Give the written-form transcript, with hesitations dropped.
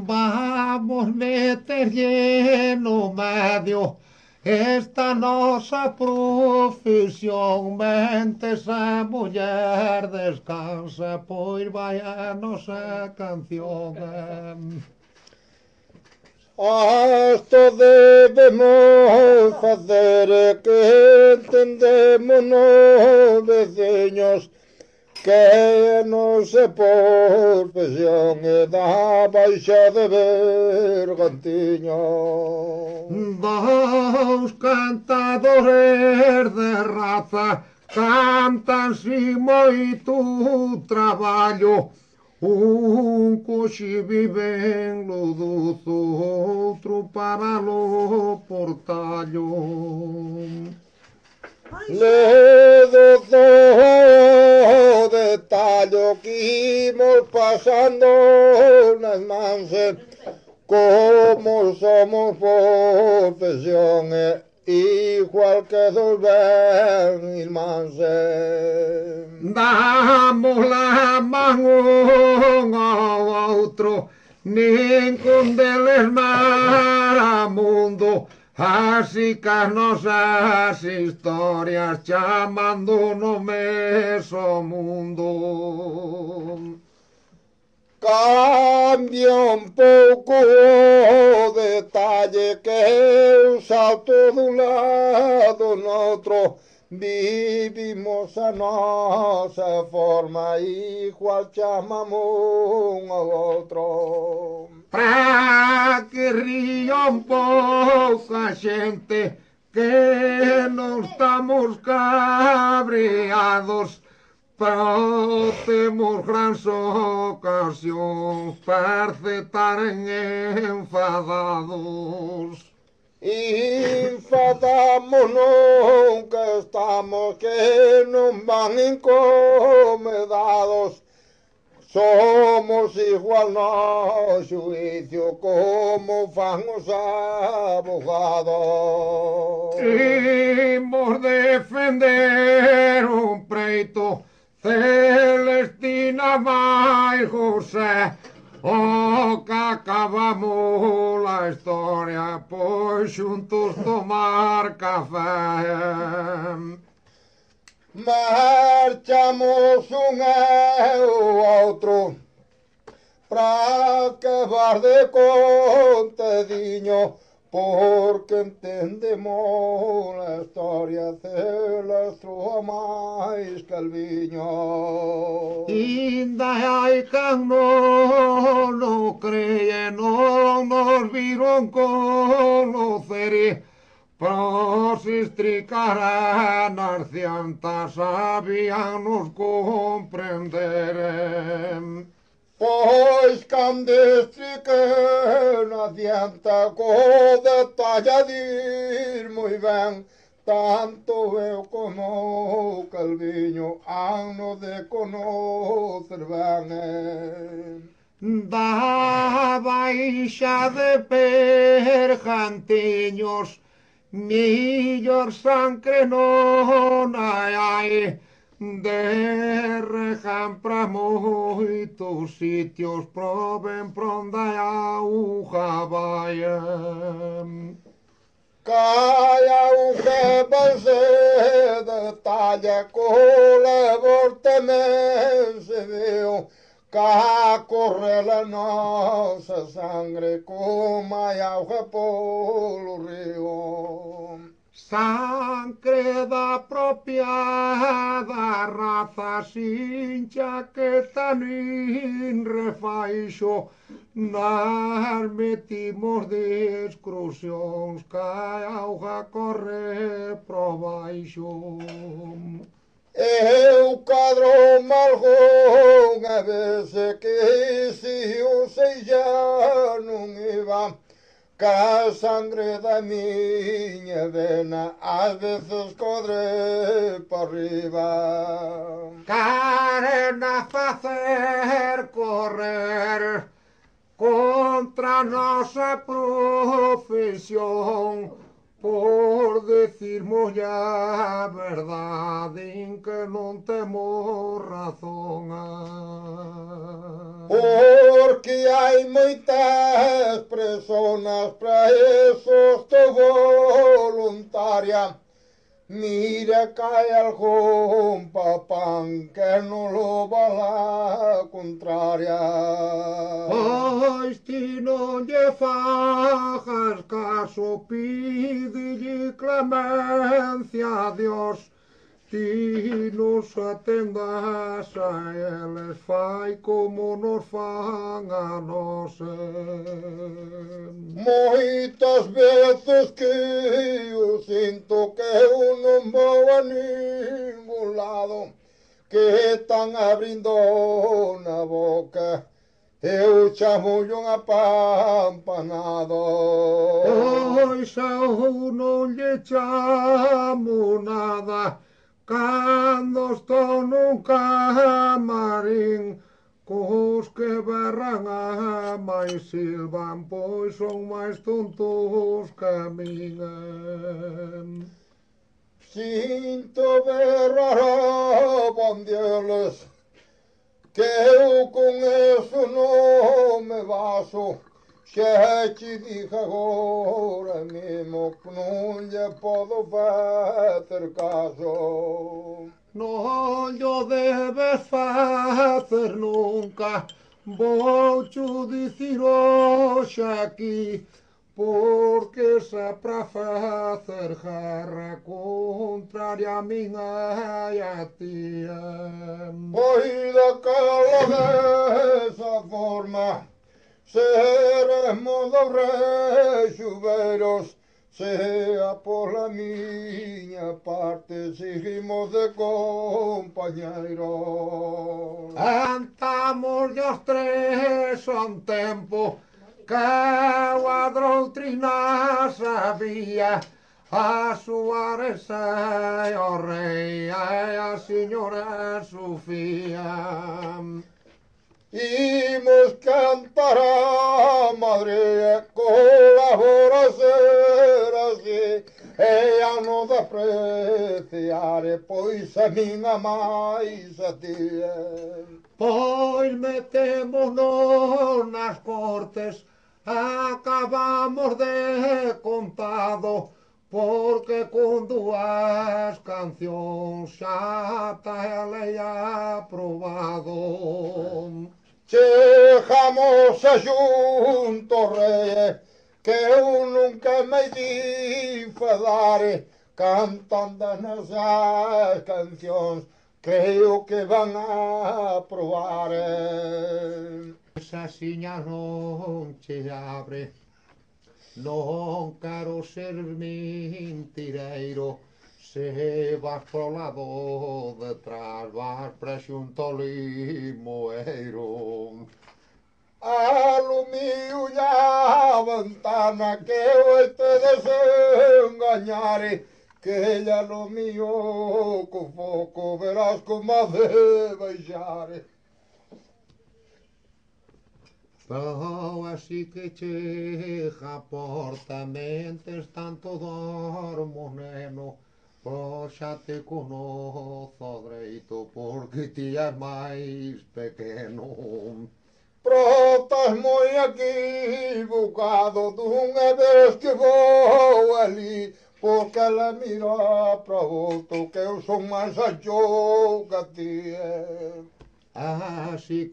Vamos meter lleno medio esta nosa profesión. Mente esa muller descansa, pois vai a nosa canción. Esto debemos facer que entendémonos, veciños, que a nosa profesión é da baixa de Bergantiño. Dos cantadores de raza cantan sin moito traballo. Un coxe vive en Lodozo, outro para lo Portallo. Ledo de tallo que imos pasando nas manses, como somos profesión igual que dos ben irmánses. Damos la man un ao outro, nin con deles maramundo, así que as nosas historias chamando no meso mundo. Cambia un pouco o detalle que un salto dun lado noutro, vivimos a nosa forma igual chamamos un ao outro. Para que ría un pouco a xente que non estamos cabreados, pero temos grans ocasións para estar enfadados. Enfadámonos que estamos que non van encomendados. Somos igual no xuicio como fan os abogados. Imos defender un preito, Celestina máis José, o que acabamos a historia, pois xuntos tomar café. Marchamos un e o outro pra acabar de contadiño, porque entendemos a historia celestro a máis calviño. Inda hai can non cree, non nos viron conocer, pero se estricaran as ciantas sabíanos comprender. Pois cando estriquen adianta co detalle a dir moi ben, tanto eu como o Calviño ano de conocer ben. Da baixa de Bergantiños, millor sangre non hai, de Reján pra moitos sitios, proben pronda a auga vai. Calla un que se detalla co levor tamén se veo, ca corre la nosa sangre como hai auga polo río. Sangre da propia da raza, sin chaqueta nin refaixo, nas metimos de excursións, ca auga corre pro baixo. Eu cadro algunha vez que se o sei xa non iba, ca sangre da miña vena ás veces codre pa arriba. Queren a facer correr contra a nosa profesión, por decirmos ya a verdade en que non temos razón. Porque hai moitas personas para eso estou voluntaria. Mira que hai algún papán que non lo va la contraria. Pois ti non lle fajas caso, pídelle clemencia a Dios. Ti nos atendas a eles, fai como nos fan a nós. Moitas veces que eu sinto que eu non vou a ningún lado, que están abrindo na boca, eu chamo un apampanado. Pois eu non lle chamo nada, cando estou nun camarín, cos que berran a máis silvan, pois son máis tontos que min. Sinto berrar a bandieles, que eu con eso non me baso. Xa te dije agora mesmo que non lle podo facer caso. Non llo debes facer nunca, vou cho dicir hoxe aquí, porque se para facer guerra contraria a min e a ti. Pois daquela desa forma seremos dos reis xubeiros, sea pola miña parte seguimos de compañeiros. Andamos os tres un tempo que a doutrina sabía, a Suárez e o rei e a señora Sofía. Imos cantar a Madrid, colabora ser así, e a nos apreciare, pois a min a máis a ti. Pois metémonos nas cortes, acabamos de contado, porque con dúas cancións xa está a lei aprobado. Chegamos a xunto rei, que eu nunca me di enfadare, cantando nas cancións, creo que van a aprobar. Esa siña non che abre, non quero ser mentireiro, se vas pro lado detrás vas prexunto limoeiro. Alumio a ventana que eu este desengañare, que ella lo mío co foco verás como ha de baixare. Pero así que chega a porta, mentes tanto dormo, neno, pois xa te conozo dereito, porque ti és máis pequeno. Protas moi equivocado dunha vez que vou ali, porque ela mira para outro que eu son máis ancho que ti. Así